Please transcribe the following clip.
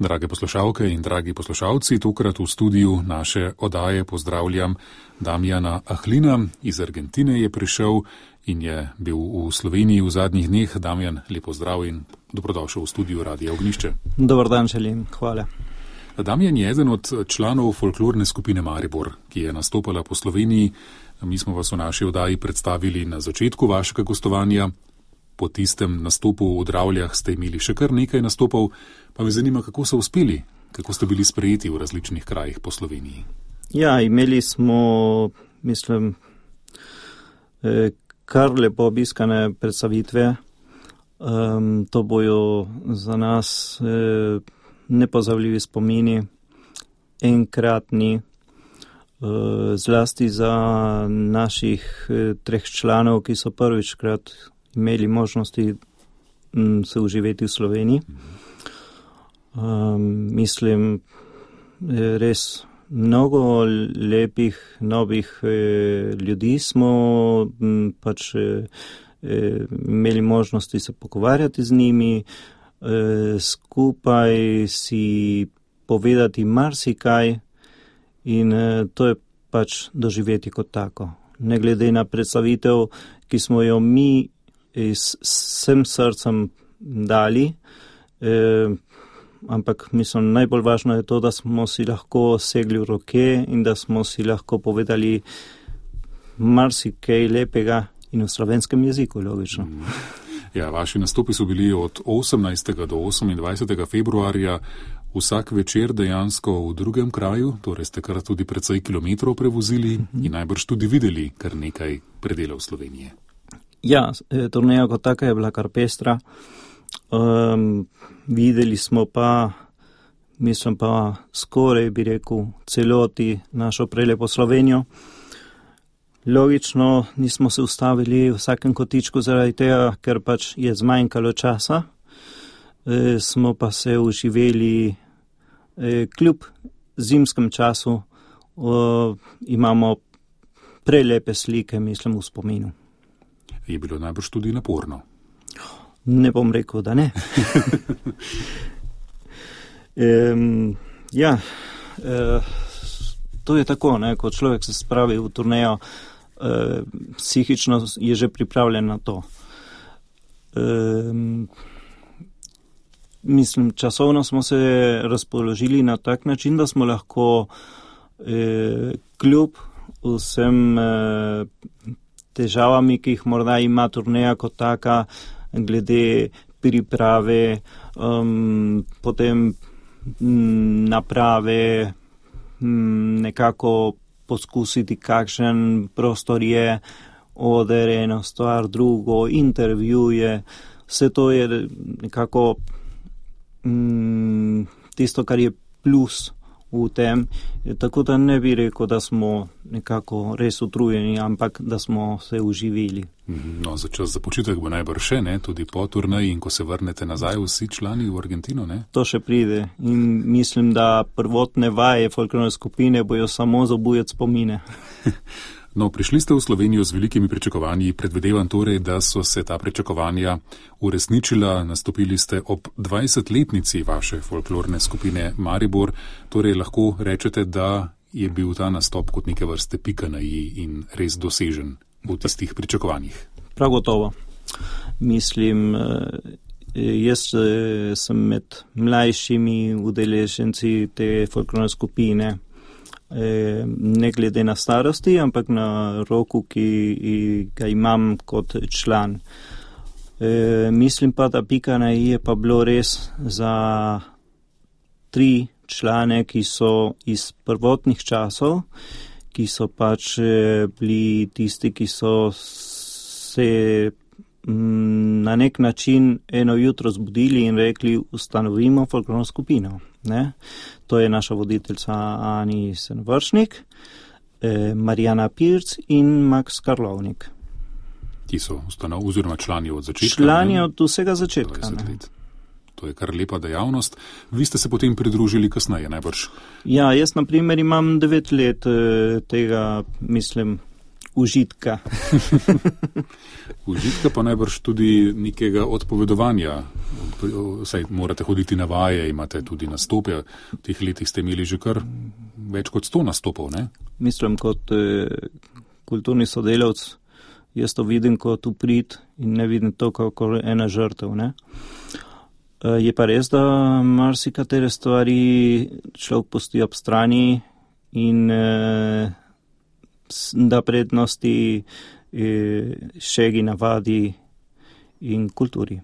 Drage poslušalke in dragi poslušalci, tokrat v studiu naše oddaje pozdravljam Damjana Ahlina. Iz Argentine je prišel in je bil v Sloveniji v zadnjih dneh. Damjan, lepo zdrav in dobrodošel v studiu Radia Ognjišče. Dobar dan želim, hvala. Damjan je eden od članov folklorne skupine Maribor, ki je nastopala po Sloveniji. Mi smo vas v naši oddaji predstavili na začetku vašega gostovanja. Po tistem nastopu v Dravljah ste imeli še kar nekaj nastopov, pa me zanima, kako so uspeli, kako ste bili sprejeti v različnih krajih po Sloveniji. Ja, imeli smo, mislim, kar lepo obiskane predstavitve. To bojo za nas nepozavljivi spomini, enkratni, zlasti za naših 3 članov, ki so prvičkrat imeli možnosti se uživeti v Sloveniji. Mislim, res mnogo lepih, novih ljudi smo pač imeli možnosti se pogovarjati z njimi, skupaj si povedati marsikaj in to je pač doživeti kot tako. Ne glede na predstavitev, ki smo jo mi z vsem srcem dali, ampak mislim, najbolj važno je to, da smo si lahko segli v roke in da smo si lahko povedali marsikaj lepega in v slovenskem jeziku, logično. Ja, vaši nastopi so bili od 18. do 28. februarja vsak večer dejansko v drugem kraju, torej ste kar tudi precej kilometrov prevozili in najbrž tudi videli kar nekaj predelov Slovenije. Ja, turneja kot taka je bila kar pestra. Videli smo pa, mislim pa skoraj bi rekel, celoti našo prelepo Slovenijo. Logično nismo se ustavili v vsakem kotičku zaradi tega, ker pač je zmanjkalo časa. Smo pa se uživeli kljub zimskem času. Imamo prelepe slike, mislim, v spominu. Je bilo najbrž tudi naporno? Ne bom rekel, da ne. To je tako, ne, ko človek se spravi v turnejo, psihično je že pripravljen na to. Mislim, časovno smo se razpoložili na tak način, da smo lahko kljub vsem težavami, ki jih morda ima turneja kot taka, glede priprave, potem naprave, nekako poskusiti, kakšen prostor je, oder, eno stvar, drugo, intervjuje. Vse to je nekako tisto, kar je plus v tem, tako da ne bi rekel, da smo nekako res utrujeni, ampak da smo se uživili. No, za čas za počitek bo najbrž še, ne, tudi po turneji in ko se vrnete nazaj vsi člani v Argentino, ne? To še pride in mislim, da prvotne vaje folklorne skupine bojo samo zabujati spomine. No, prišli ste v Slovenijo z velikimi pričakovanji, predvidevam torej, da so se ta pričakovanja uresničila, nastopili ste ob 20-letnici vaše folklorne skupine Maribor, torej lahko rečete, da je bil ta nastop kot neke vrste pika na i in res dosežen v tistih pričakovanjih. Prav gotovo. Mislim, jaz sem med mlajšimi udeleženci te folklorne skupine, ne glede na starosti, ampak na roku, ki ga imam kot član. Mislim pa, da pika na i je pa bilo res za 3 člane, ki so iz prvotnih časov, ki so pač bili tisti, ki so se na nek način eno jutro zbudili in rekli, ustanovimo folklorno skupino. Ne? To je naša voditeljica Ani Senvršnik, Marijana Pirc in Max Karlovnik. Ti so oziroma člani od začetka? Člani od vsega začetka. To je kar lepa dejavnost. Vi ste se potem pridružili kasneje, najbrž? Ja, jaz na primer imam 9 let tega, mislim, užitka. Užitka pa najbrž tudi nekega odpovedovanja. Saj morate hoditi na vaje, imate tudi nastope. V teh letih ste imeli že kar več kot 100 nastopov, ne? Mislim, kot kulturni sodelavc, jaz to vidim kot uprit in ne vidim to kot ena žrtev, ne? Je pa res, da marsikatere stvari človek pusti ob strani in da prednosti šegi, navadi in kulturi.